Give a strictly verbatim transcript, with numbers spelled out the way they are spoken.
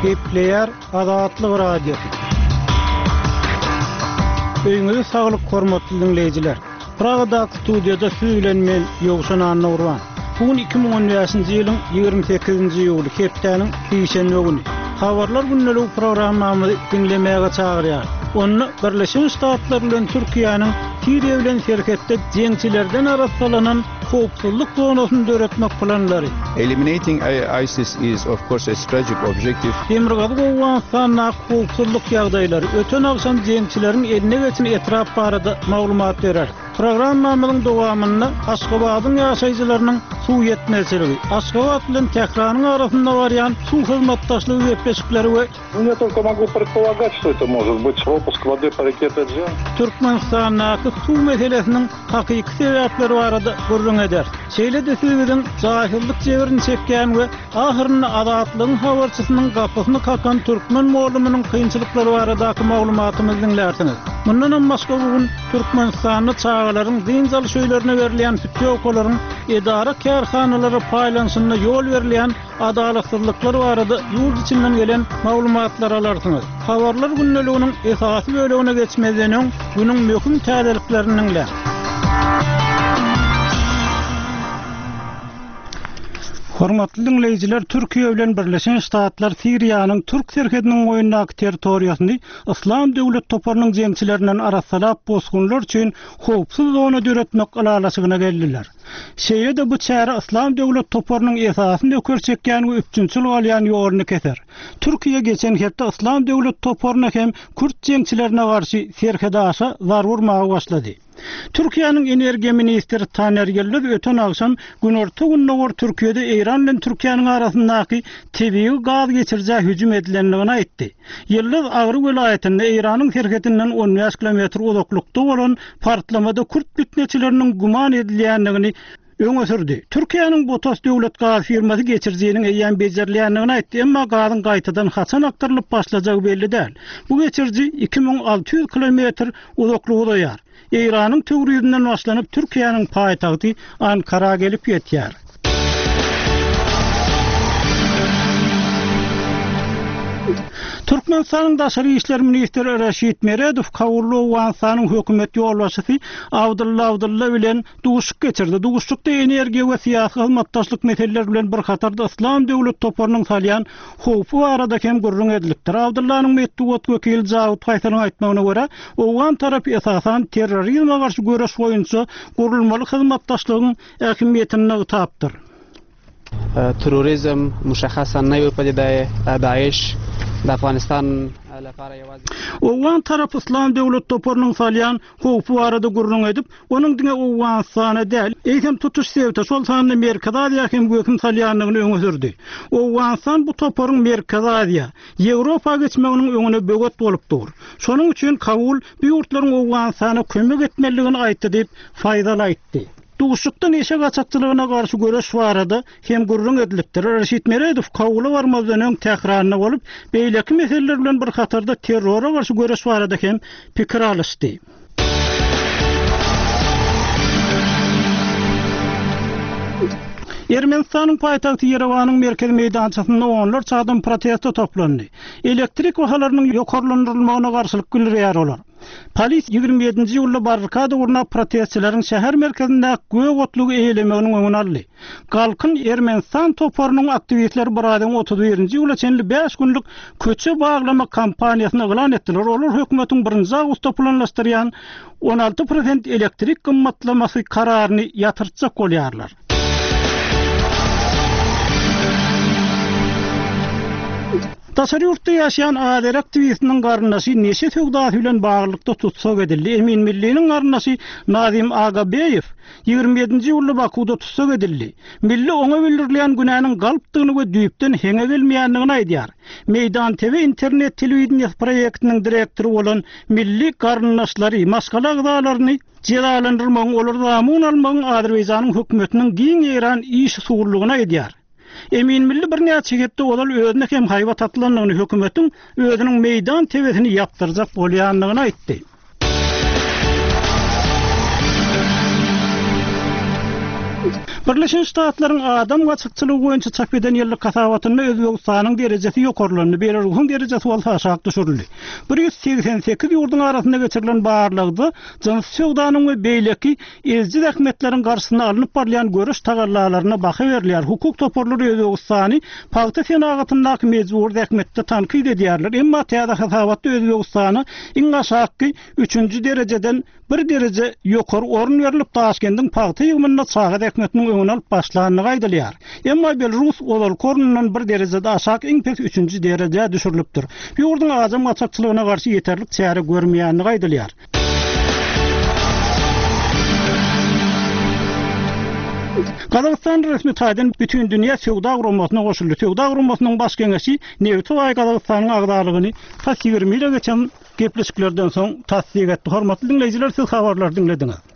Gepleýär Azatlyk Radiosy. Öýüňize saglyk hormatly diňleýjiler. Pragadaky studiýada siz bilen men Ýowşan Annagurban. Bu gün iki müň on bäşinji ýylyň ýigrimi sekizinji iýuly hepdäniň sişenbe güni. Habarlar gündeligi programmamyzy diňlemäge çagyrýar. Onda Birleşen Ştatlar bilen Türkiýäniň Siriýa bilen serhetde jeňçilerden arassalanan howpsuzlyk zonasyny döretmek planlary. Eliminating ISIS is of course a strategic objective. Demirgazyk Owganystandaky howpsuzlyk ýagdaýlary öten agşam jeňçileriň eline geçen etrap barada maglumat berer. Programmamyzyň dowamynda Aşgabadyň ýaşaýjylarynyň suw ýetmezçiligi, Aşgabat bilen Tähranyň arasynda barýan suw hyzmatdaşlygy gepleşikleri we Ну, я только могу предполагать, что это может быть пропуск воды по реке Теджен. Türkmenistandaky suw meselesiniň hakyky sebäpleri barada gürrüň eder. Şeýle-de siz biziň jaýsyzlyk jebrini çekýän we ahyrynda Azatlygyň habarçysynyň gapysyny kakan türkmen mugallymynyň kynçylyklary baradaky maglumatymyzy diňlärsiňiz. Mundan hem başga bu gün Türkmenistanda çagalaryň dynç alyş öýlerine berilýän pütýowkalaryň edara kärhanalara paýlanyşynda ýol berilýän adalatsyzlyklar barada ýurt içinden gelen maglumatlar alarsyňyz. Habarlar gündeliginiň esasy bölegine geçmezden öň günüň möhüm täzeliklerini diňläň. Hormatly diňleýjiler, Türkiýe bilen Birleşen Ştatlar Siriýanyň Türk serhediniň boýundaky territoriýasyny Yslam döwlet toparynyň jeňçilerinden arassalap bosgunlar üçin howpsuz zona döretmek ylalaşygyna geldiler. Şeýle-de bu çäre Yslam döwlet toparynyň esasyny nöker çekýän we üpjünçilik alýan ýoluny keser. Türkiýe geçen hepde Yslam döwlet toparyna hem Kürt jeňçilerine garşy serhedaşa zarba urmaga başlady. Türkiýäniň energiýa ministri Taner Ýyldyz öten agşam Günorta Gündogar Türkiýede Eýran bilen Türkiýäniň arasyndaky tebigy gaz geçirijä hüjüm edilendigini aýtdy. Ýyldyz Agry welaýatynda Eýranyň serhedinden on bäş kilometr uzaklykda bolan partlamada Kürt pitneçileriniň güman edilýändigini öňe sürdi. Türkiýäniň Botas döwlet gaz firmasy geçirijiniň eýýäm bejerilýändigini aýtdy, emma gazyň gaýtadan haçan akdyrylyp başlajagy belli däl. Bu geçiriji iki müň alty ýüz kilometr uzaklyga uzaýar. Eýranyň Töwrizinden başlanyp Türkiýäniň paýtagty Ankara gelip ýetýär. Türkmenistanyň Daşary işler ministri Reşit Meredow Kabulda Owganystanyň hökümet ýolbaşçysy Abdylla Abdylla bilen duşuşyk geçirdi. Duşuşykda energiýa we syýasy hyzmatdaşlyk meseleleri bilen bir hatarda Yslam döwlet toparynyň salýan howpy barada hem gürrüň edilipdir. Abdyllanyň metbugat wekili Jawid Faýsalyň aýtmagyna görä, Owgan tarapy esasan terrorizme garşy göreş boýunça gurulmaly hyzmatdaşlygyň ähmiýetini nygtapdyr. Terrorizm muşahhasan naýy padidai Daesh da Afganistan Owgan tarapy Yslam döwlet toparynyň salýan howpy barada gürrüň edip, onuň diňe Owganystana däl, eýsem tutuş sebite, şol sanda Merkezi Aziýa hem wehim salýandygyny öňe sürdi. Owganystan bu toparyň Merkezi Aziýa, Ýewropa geçmeginiň öňüne böwet bolup dur. Şonuň üçin Kabul bu ýurtlaryň Owganystana kömek etmelidigini aýtdy diýip Faýzal aýtdy. Duşuşykda neşe gaçakçylygyna garşy göreş barada hem gürrüň edilipdir. Reşit Meredow Kabula barmazdan öň Tähranda bolup, beýleki meseleler bilen bir hatarda terrora garşy göreş barada hem pikir alyşdy. Ermenistanyň paýtagty Ýerewanyň merkezi meýdançasynda onlarça adam protesta toplandy. Elektrik bahalarynyň ýokarlandyrylmagyna garşylyk bildirýär olar. Polis ýigrimi ýedinji ýylda barrikada gurnap protestçileriň şäher merkezinde gök otlugy eýelemeginiň öňüni aldy. Galkyn Ermenistan toparynyň aktiwistleri bir aýdan otuz birinji ýyla çenli bäş günlük köçe baglama kampaniýasyny yglan etdiler. Olar hökümetiň birinji awgustda planlaşdyrýan on alty prosent elektrik gymmatlamasy kararyny ýatyrtjak bolýarlar. Daşary ýurtda ýaşaýan Azeri aktiwistiniň garyndaşy neşe söwdasy bilen baglylykda tutsak edildi. Emin Milliniň garyndaşy Nazim Agabeýew ýigrimi ýedinji ýylda Bakuda tutsak edildi. Milli oňa bildirilýän günäniň galpdygyny we düýpden heňe gelmeýändigini aýdýar. Meýdan T V internet telewideniýesi proýektiniň direktory bolan Milli garyndaşlary, maşgala agzalaryny jezalandyrmagyň, olary zamun almagyň Azerbaýjanyň hökümetiniň giň ýeýran iş usullygyny aýdýar. Emin Milli birnäçe hepde ozal özüne hem haýbat atylandygyny, hökümetiň özüniň meýdan T V-sini ýapdyrjak bolýandygyny aýtdy. Birleşen Ştatlaryň adam gaçakçylygy boýunça çap eden ýyllyk hasabatynda Özbegistanyň derejesi ýokarlandy, Belarusyň derejesi bolsa aşak düşürildi. bir ýüz segsen sekiz ýurduň arasynda geçirilen barlagda jynsy söwdanyň we beýleki eziji zähmetleriň garşysyna alnyp barylýan göreş tagallalaryna baha berilýär. Hukuk toparlary Özbegistany pagta senagatyndaky mejbury zähmetde tankyt edýärler. Emma täze hasabatda Özbegistana iň aşakky üçünji derejeden bir dereje ýokary orun berlip, Daşkendiň pagta ýygymynda çaga zähmetiniň öňüni alyp başlandygy aýdylýar. Emma Belarus ozalky ornundan bir derejede aşak iň pes üçünji derejä düşürilipdir. Bu ýurduň adam gaçakçylygyna garşy ýeterlik çäre görmeýändigi aýdylýar. Gazagystan resmi taýdan Bütindünýä Söwda Guramasyna goşuldy. Söwda Guramasynyň baş geňeşi nebiti baý Gazagystanyň agzalygyny tas ýigrimi ýyla geçen gepleşiklerden soň tassyk etdi. Hormatly diňleýjiler, siz habarlary diňlediňiz.